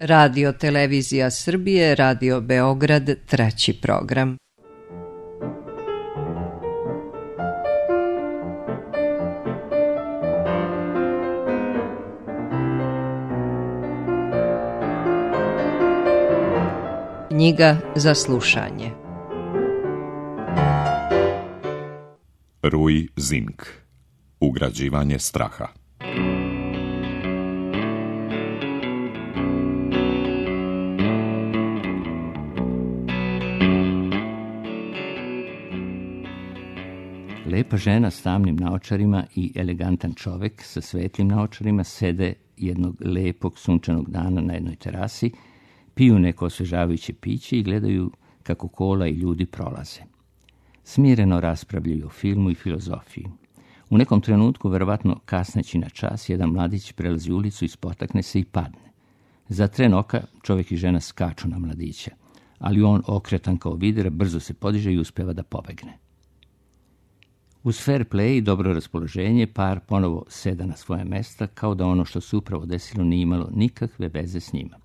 Radio Televizija Srbije, Radio Beograd, 3. program. Knjiga za slušanje. Rui Zink. Ugrađivanje straha. Lepa žena s tamnim naočarima i elegantan čovek sa svetlim naočarima sede jednog lepog sunčanog dana na jednoj terasi, piju neko osvežavajuće piće i gledaju kako kola i ljudi prolaze. Smireno raspravljaju o filmu i filozofiji. U nekom trenutku, verovatno kasneći na čas, jedan mladić prelazi ulicu i spotakne se i padne. Za tren oka čovjek i žena skaču na mladića, ali on, okretan kao vidra, brzo se podiže i uspeva da pobegne. Uz fair play i dobro raspoloženje, par ponovo seda na svoje mesta, kao da ono što se upravo desilo nije imalo nikakve veze s njima.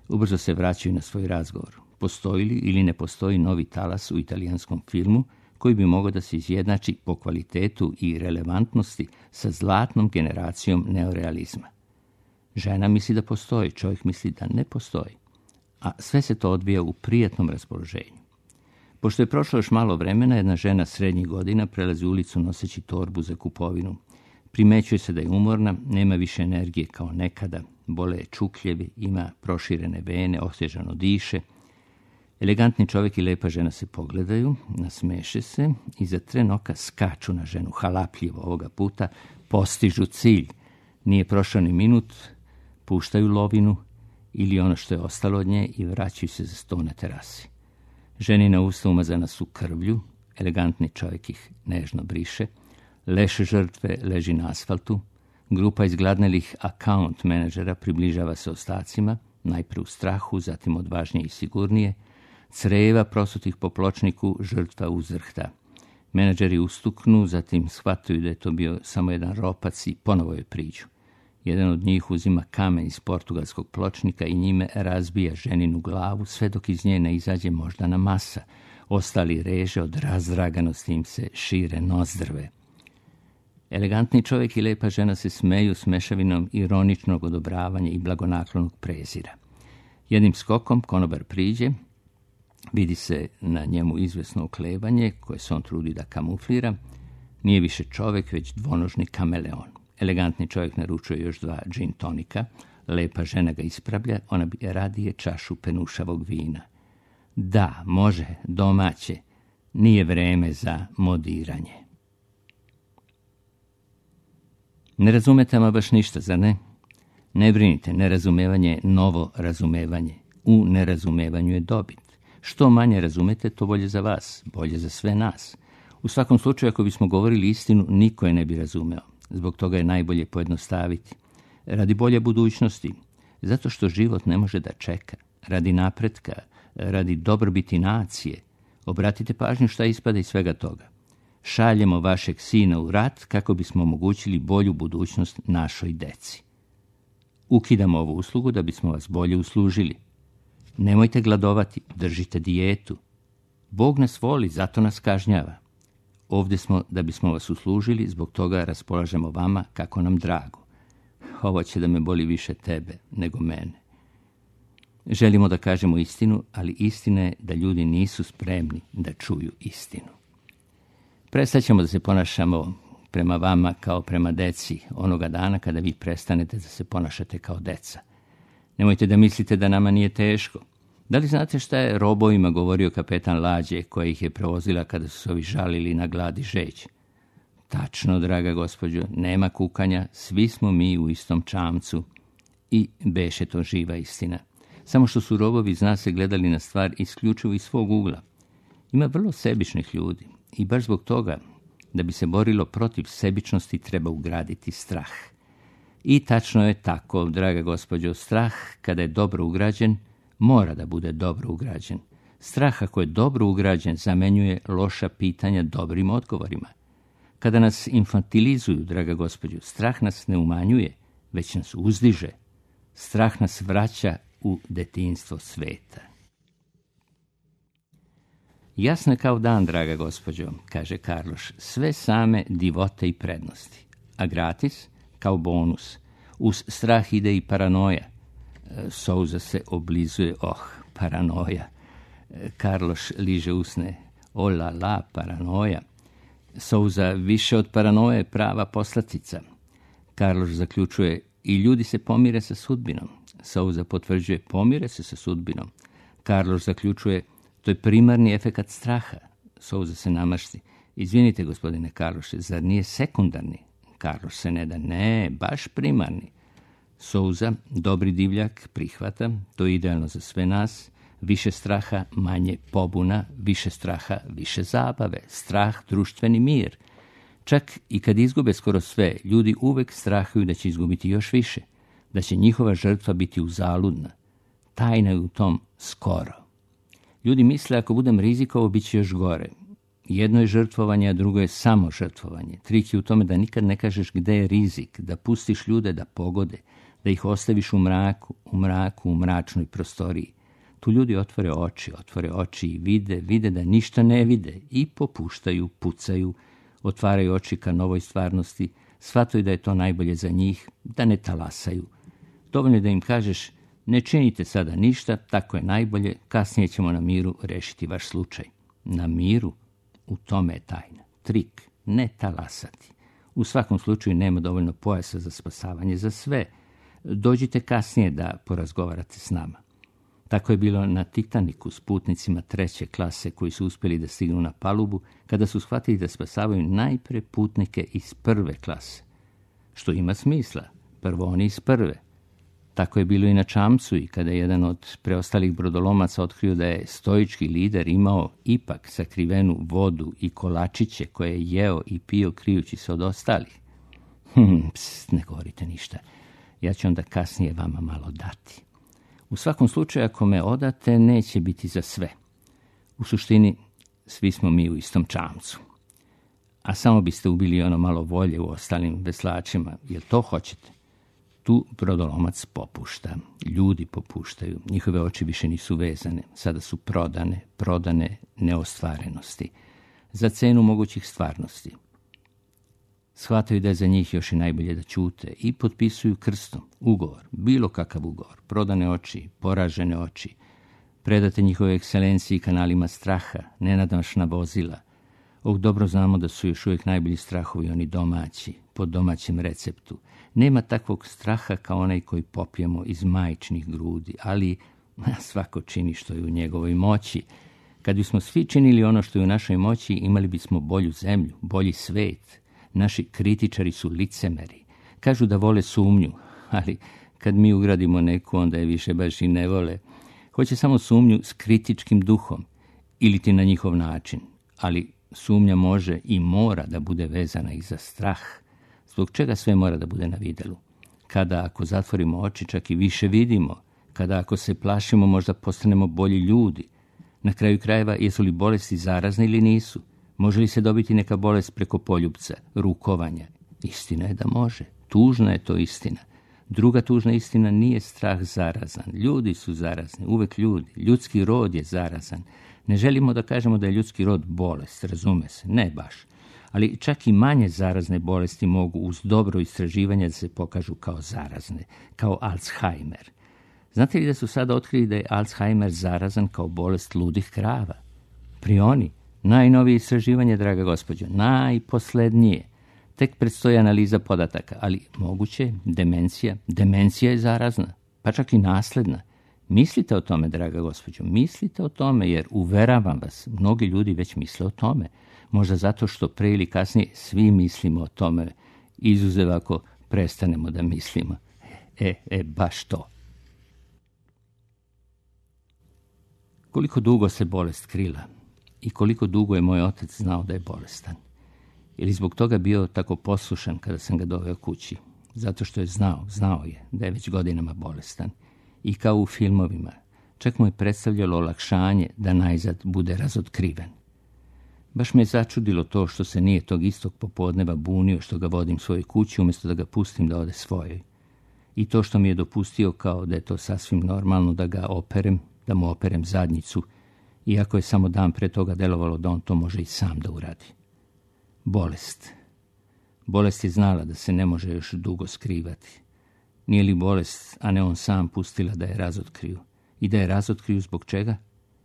Ubrzo se vraćaju na svoj razgovor. Postoji li ili ne postoji novi talas u italijanskom filmu koji bi mogao da se izjednači po kvalitetu i relevantnosti sa zlatnom generacijom neorealizma? Žena misli da postoji, čovjek misli da ne postoji. A sve se to odvija u prijatnom raspoloženju. Pošto je prošlo još malo vremena, jedna žena srednjih godina prelazi ulicu noseći torbu za kupovinu. Primećuje se da je umorna, nema više energije kao nekada, bole je čukljevi, ima proširene vene, osježano diše. Elegantni čovjek i lepa žena se pogledaju, nasmeše se i za tren oka skaču na ženu, halapljivo ovoga puta, postižu cilj. Nije prošao ni minut, puštaju lovinu ili ono što je ostalo od nje i vraćaju se za sto na terasi. Ženina usta umazana su krvlju, elegantni čovjek ih nežno briše, leš žrtve leži na asfaltu, grupa izgladnelih account menadžera približava se ostacima, najprije u strahu, zatim odvažnije i sigurnije, creva prosutih po pločniku, žrtva uzrhta. Menadžeri ustuknu, zatim shvataju da je to bio samo jedan ropac i ponovo je priđu. Jedan od njih uzima kamen iz portugalskog pločnika i njime razbija ženinu glavu, sve dok iz nje ne izađe moždana masa. Ostali reže, od razdraganosti im se šire nozdrve. Elegantni čovjek i lepa žena se smeju s mešavinom ironičnog odobravanja i blagonaklonog prezira. Jednim skokom konobar priđe, vidi se na njemu izvesno oklevanje koje se on trudi da kamuflira. Nije više čovjek, već dvonožni kameleon. Elegantni čovjek naručuje još 2 gin tonika, lepa žena ga ispravlja, ona bi radije čašu penušavog vina. Da, može, domaće, nije vreme za modiranje. Ne razumete ama baš ništa, zar ne? Ne brinite, nerazumevanje je novo razumevanje. U nerazumevanju je dobit. Što manje razumete, to bolje za vas, bolje za sve nas. U svakom slučaju, ako bismo govorili istinu, niko je ne bi razumeo. Zbog toga je najbolje pojednostaviti. Radi bolje budućnosti, zato što život ne može da čeka. Radi napretka, radi dobrobiti nacije. Obratite pažnju šta ispada iz svega toga. Šaljemo vašeg sina u rat kako bismo omogućili bolju budućnost našoj deci. Ukidamo ovu uslugu da bismo vas bolje uslužili. Nemojte gladovati, držite dijetu. Bog nas voli, zato nas kažnjava. Ovdje smo da bismo vas uslužili, zbog toga raspolažemo vama kako nam drago. Ovo će da me boli više tebe nego mene. Želimo da kažemo istinu, ali istina je da ljudi nisu spremni da čuju istinu. Prestat ćemo da se ponašamo prema vama kao prema deci onoga dana kada vi prestanete da se ponašate kao deca. Nemojte da mislite da nama nije teško. Da li znate šta je robovima govorio kapetan lađe koja ih je prevozila kada su se ovi žalili na glad i žeđ? Tačno, draga gospođo, nema kukanja, svi smo mi u istom čamcu. I beše to živa istina. Samo što su robovi, zna se, gledali na stvar isključivo iz svog ugla. Ima vrlo sebičnih ljudi i baš zbog toga, da bi se borilo protiv sebičnosti, treba ugraditi strah. I tačno je tako, draga gospođo, strah kada je dobro ugrađen, mora da bude dobro ugrađen. Strah ako je dobro ugrađen zamenjuje loša pitanja dobrim odgovorima. Kada nas infantilizuju, draga gospođo, strah nas ne umanjuje, već nas uzdiže. Strah nas vraća u detinjstvo sveta. Jasno je kao dan, draga gospođo, kaže Karloš, sve same divote i prednosti, a gratis kao bonus. Uz strah ide i paranoja. Souza se oblizuje, paranoja. Karloš liže usne, la, paranoja. Souza, više od paranoje prava poslatica. Karloš zaključuje, i ljudi se pomire sa sudbinom. Souza potvrđuje, pomire se sa sudbinom. Karloš zaključuje, to je primarni efekat straha. Souza se namašti. Izvinite, gospodine Karloše, zar nije sekundarni? Karloš se ne da, ne, baš primarni. Souza, dobri divljak, prihvata, to je idealno za sve nas. Više straha, manje pobuna, više straha, više zabave. Strah, društveni mir. Čak i kad izgube skoro sve, ljudi uvek strahuju da će izgubiti još više, da će njihova žrtva biti uzaludna. Tajna je u tom skoro. Ljudi misle, ako budem rizikovao, bit će još gore. Jedno je žrtvovanje, a drugo je samo žrtvovanje. Trik je u tome da nikad ne kažeš gde je rizik, da pustiš ljude da pogode, da ih ostaviš u mraku, u mračnoj prostoriji. Tu ljudi otvore oči i vide da ništa ne vide i popuštaju, pucaju, otvaraju oči ka novoj stvarnosti, shvataju da je to najbolje za njih, da ne talasaju. Dovoljno je da im kažeš, ne činite sada ništa, tako je najbolje, kasnije ćemo na miru rešiti vaš slučaj. Na miru? U tome je tajna. Trik, ne talasati. U svakom slučaju nema dovoljno pojasa za spasavanje za sve. Dođite kasnije da porazgovarate s nama. Tako je bilo na Titaniku s putnicima 3. klase koji su uspjeli da stignu na palubu kada su shvatili da spasavaju najpre putnike iz 1. klase. Što ima smisla, prvo oni iz 1. Tako je bilo i na Čamcu i kada je jedan od preostalih brodolomaca otkrio da je stoički lider imao ipak sakrivenu vodu i kolačiće koje je jeo i pio krijući se od ostalih. Ne govorite ništa, ja ću onda kasnije vama malo dati. U svakom slučaju, ako me odate, neće biti za sve. U suštini, svi smo mi u istom čamcu. A samo biste ubili ono malo volje u ostalim veslačima, jel to hoćete? Tu brodolomac popušta, ljudi popuštaju, njihove oči više nisu vezane, sada su prodane neostvarenosti, za cenu mogućih stvarnosti. Shvataju da je za njih još i najbolje da ćute i potpisuju krstom ugovor, bilo kakav ugovor, prodane oči, poražene oči, predate njihove ekscelenciji kanalima straha, nenadmašna vozila. Dobro znamo da su još uvijek najbolji strahovi oni domaći, po domaćem receptu. Nema takvog straha kao onaj koji popijemo iz majčinih grudi, ali svako čini što je u njegovoj moći. Kad bismo svi činili ono što je u našoj moći, imali bismo bolju zemlju, bolji svet. Naši kritičari su licemeri. Kažu da vole sumnju, ali kad mi ugradimo neku, onda je više baš i ne vole. Hoće samo sumnju s kritičkim duhom, ili ti na njihov način. Ali sumnja može i mora da bude vezana i za strah. Zbog čega sve mora da bude na videlu? Kada ako zatvorimo oči, čak i više vidimo. Kada ako se plašimo, možda postanemo bolji ljudi. Na kraju krajeva, jesu li bolesti zarazne ili nisu? Može li se dobiti neka bolest preko poljupca, rukovanja? Istina je da može. Tužna je to istina. Druga tužna istina, nije strah zarazan. Ljudi su zarazni, uvek ljudi. Ljudski rod je zarazan. Ne želimo da kažemo da je ljudski rod bolest, razume se, ne baš. Ali čak i manje zarazne bolesti mogu uz dobro istraživanje da se pokažu kao zarazne, kao Alzheimer. Znate li da su sada otkrili da je Alzheimer zarazan kao bolest ludih krava? Prioni, najnovije istraživanje, draga gospođo, najposlednije. Tek predstoji analiza podataka, ali moguće demencija je zarazna, pa čak i nasledna. Mislite o tome, draga gospođo, mislite o tome, jer uveravam vas, mnogi ljudi već misle o tome. Možda zato što pre ili kasnije svi mislimo o tome, izuzev ako prestanemo da mislimo. Baš to. Koliko dugo se bolest krila i koliko dugo je moj otac znao da je bolestan. Ili zbog toga bio tako poslušan kada sam ga doveo kući. Zato što je znao je da je već godinama bolestan. I kao u filmovima, čak mu je predstavljalo olakšanje da najzad bude razotkriven. Baš me je začudilo to što se nije tog istog popodneva bunio što ga vodim svojoj kući umjesto da ga pustim da ode svojoj. i to što mi je dopustio kao da je to sasvim normalno da ga operem, da mu operem zadnjicu, iako je samo dan pre toga delovalo da on to može i sam da uradi. Bolest. Bolest je znala da se ne može još dugo skrivati. Nije li bolest, a ne on sam, pustila da je razotkriju? I da je razotkriju zbog čega?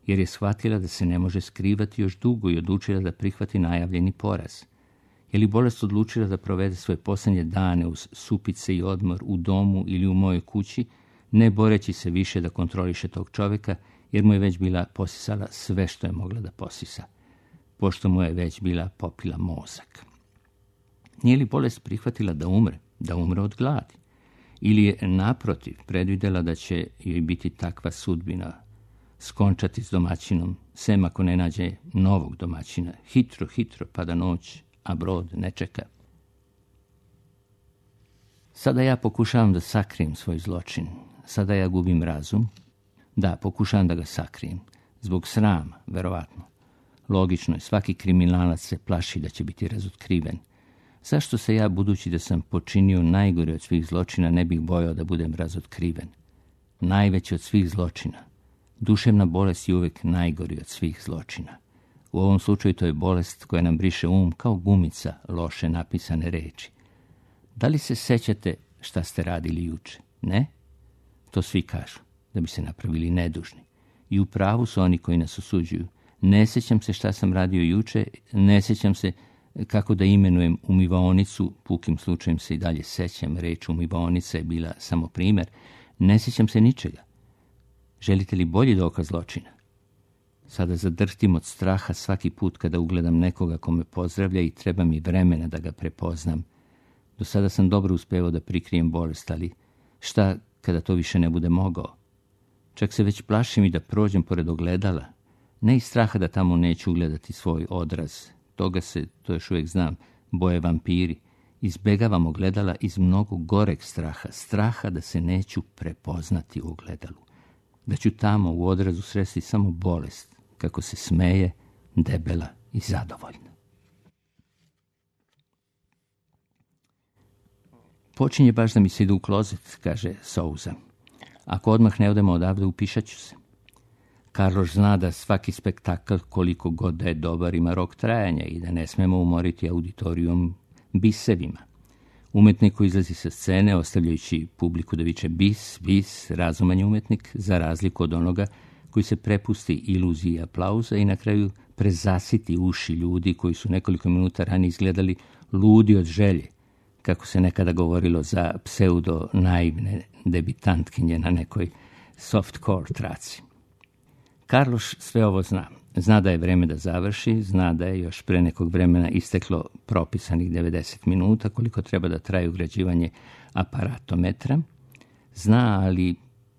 Jer je shvatila da se ne može skrivati još dugo i odlučila da prihvati najavljeni poraz. Je li bolest odlučila da provede svoje posljednje dane uz supice i odmor u domu ili u mojoj kući, ne boreći se više da kontroliše tog čovjeka, jer mu je već bila posisala sve što je mogla da posisa, pošto mu je već bila popila mozak? Nije li bolest prihvatila da umre od gladi? Ili je naprotiv predvidjela da će joj biti takva sudbina, skončati s domaćinom, sem ako ne nađe novog domaćina, hitro pada noć, a brod ne čeka? Sada ja pokušavam da sakrijem svoj zločin. Sada ja gubim razum. Da, pokušavam da ga sakrijem. Zbog srama, verovatno. Logično je, svaki kriminalac se plaši da će biti razotkriven. Zašto se ja, budući da sam počinio najgore od svih zločina, ne bih bojao da budem razotkriven? Najveći od svih zločina. Duševna bolest je uvijek najgori od svih zločina. U ovom slučaju to je bolest koja nam briše kao gumica loše napisane reči. Da li se sećate šta ste radili juče? Ne? To svi kažu, da bi se napravili nedužni. I u pravu su oni koji nas osuđuju. Ne sećam se šta sam radio juče, ne sećam se kako da imenujem umivaonicu, pukim slučajem se i dalje sećam, reč umivaonica je bila samo primjer, ne sećam se ničega. Želite li bolji dokaz zločina? Sada zadrhtim od straha svaki put kada ugledam nekoga ko me pozdravlja i treba mi vremena da ga prepoznam. Do sada sam dobro uspevao da prikrijem bolest, ali šta kada to više ne bude mogao? Čak se već plašim i da prođem pored ogledala. Ne iz straha da tamo neću ugledati svoj odraz. To još uvijek znam, boje vampiri. Izbegavam ogledala iz mnogo goreg straha da se neću prepoznati u ogledalu. Da ću tamo u odrazu sresti samo bolest, kako se smeje, debela i zadovoljna. Počinje baš da mi se ide u klozet, kaže Souza. Ako odmah ne odemo odavde, upišat ću se. Karloš zna da svaki spektakl, koliko god da je dobar, ima rok trajanja i da ne smemo umoriti auditorijum bisevima. Umetnik koji izlazi sa scene, ostavljajući publiku da viče bis, razuman je umetnik, za razliku od onoga koji se prepusti iluziji aplauza i na kraju prezasiti uši ljudi koji su nekoliko minuta ranije izgledali ludi od želje, kako se nekada govorilo za pseudo-naivne debitantkinje na nekoj softcore traci. Karloš sve ovo zna. Zna da je vreme da završi, zna da je još pre nekog vremena isteklo propisanih 90 minuta, koliko treba da traje ugrađivanje aparatometra. Zna,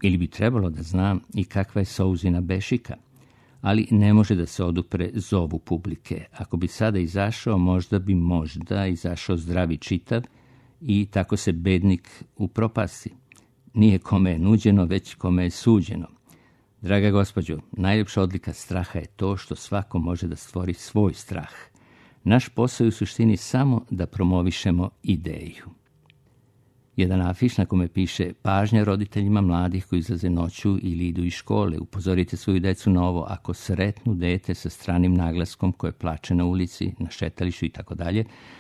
ili bi trebalo da zna, i kakva je Souzina bešika, ali ne može da se odupre zovu publike. Ako bi sada izašao, možda bi izašao zdravi čitav i tako se bednik upropasti. Nije kome je nuđeno, već kome je suđeno. Draga gospođo, najljepša odlika straha je to što svako može da stvori svoj strah. Naš posao je u suštini samo da promovišemo ideju. Jedan afiš na kome piše: pažnja roditeljima mladih koji izlaze noću ili idu iz škole. Upozorite svoju decu na ovo: ako sretnu dete sa stranim naglaskom koje plače na ulici, na šetalištu itd.,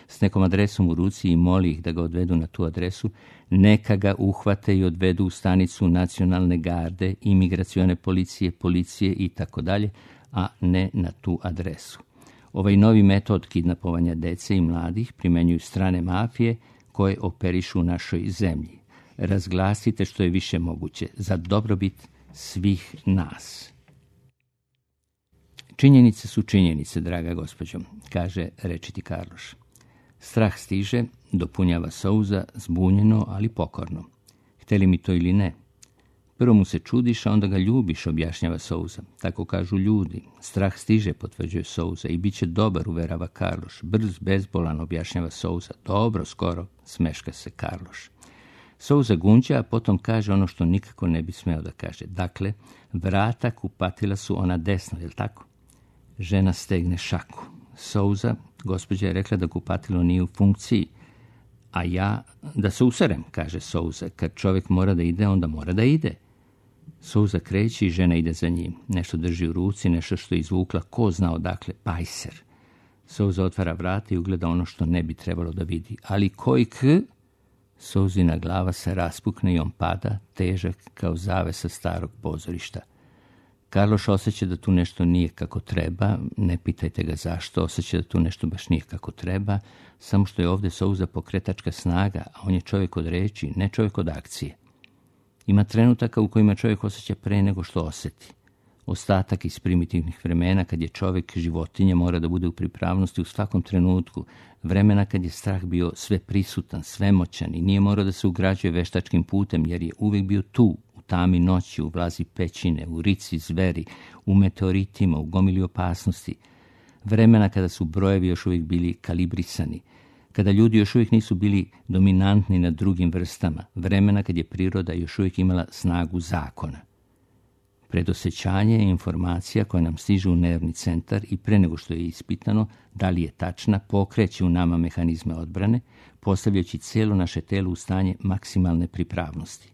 s nekom adresom u ruci i moli ih da ga odvedu na tu adresu, neka ga uhvate i odvedu u stanicu nacionalne garde, imigracione policije itd., a ne na tu adresu. Ovaj novi metod kidnapovanja dece i mladih primenjuju strane mafije koje operišu u našoj zemlji. Razglasite što je više moguće za dobrobit svih nas. Činjenice su činjenice, draga gospođo, kaže rečiti Karloš. Strah stiže, dopunjava Souza, zbunjeno, ali pokorno. Hteli mi to ili ne? Prvo mu se čudiš, a onda ga ljubiš, objašnjava Souza. Tako kažu ljudi. Strah stiže, potvrđuje Souza, i bit će dobar, uverava Karloš. Brz, bezbolan, objašnjava Souza. Dobro, skoro, smeška se Karloš. Souza gunđa, a potom kaže ono što nikako ne bi smeo da kaže. Dakle, vrata kupatila su ona desno, je li tako? Žena stegne šaku. Souza, gospođa je rekla da kupatilo nije u funkciji, a ja da se userem, kaže Souza. Kad čovjek mora da ide, onda mora da ide. Souza kreće i žena ide za njim. Nešto drži u ruci, nešto što je izvukla, ko zna odakle, pajser. Souza otvara vrata i ugleda ono što ne bi trebalo da vidi. Ali koji Souzina glava se raspukne i on pada, težak kao zavesa starog pozorišta. Karloš osjeća da tu nešto nije kako treba, ne pitajte ga zašto, osjeća da tu nešto baš nije kako treba, samo što je ovdje Souza pokretačka snaga, a on je čovjek od reči, ne čovjek od akcije. Ima trenutaka u kojima čovjek osjeća pre nego što osjeti. Ostatak iz primitivnih vremena kad je čovjek životinja mora da bude u pripravnosti u svakom trenutku, vremena kad je strah bio sve prisutan, svemoćan i nije morao da se ugrađuje veštačkim putem jer je uvijek bio tu, u tami noći, u vlazi pećine, u rici zveri, u meteoritima, u gomili opasnosti. Vremena kada su brojevi još uvijek bili kalibrisani, kada ljudi još uvijek nisu bili dominantni nad drugim vrstama, vremena kad je priroda još uvijek imala snagu zakona. Predosjećanje je informacija koja nam stiže u nervni centar i pre nego što je ispitano da li je tačna, pokreće u nama mehanizme odbrane, postavljajući cijelo naše telo u stanje maksimalne pripravnosti.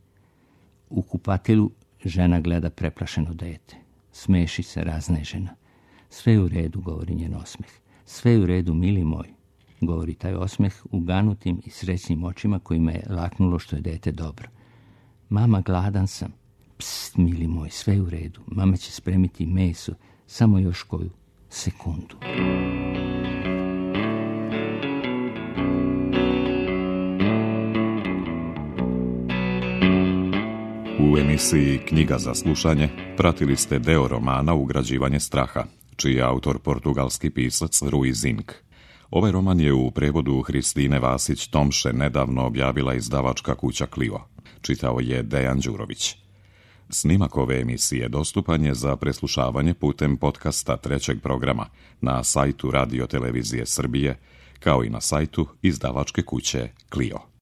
U kupatilu žena gleda preplašeno dete. Smeši se raznežena. Sve je u redu, govori njen osmeh. Sve je u redu, mili moj, govori taj osmeh uganutim i srećnim očima kojima je laknulo što je dete dobro. Mama, gladan sam. Pst, mili moj, sve je u redu. Mama će spremiti meso, samo još koju sekundu. U emisiji Knjiga za slušanje pratili ste deo romana Ugrađivanje straha, čiji je autor portugalski pisac Rui Zinck. Ovaj roman je u prevodu Hristine Vasić-Tomše nedavno objavila izdavačka kuća Clio. Čitao je Dejan Đurović. Snimak ove emisije dostupan je za preslušavanje putem podcasta trećeg programa na sajtu Radio Televizije Srbije, kao i na sajtu izdavačke kuće Clio.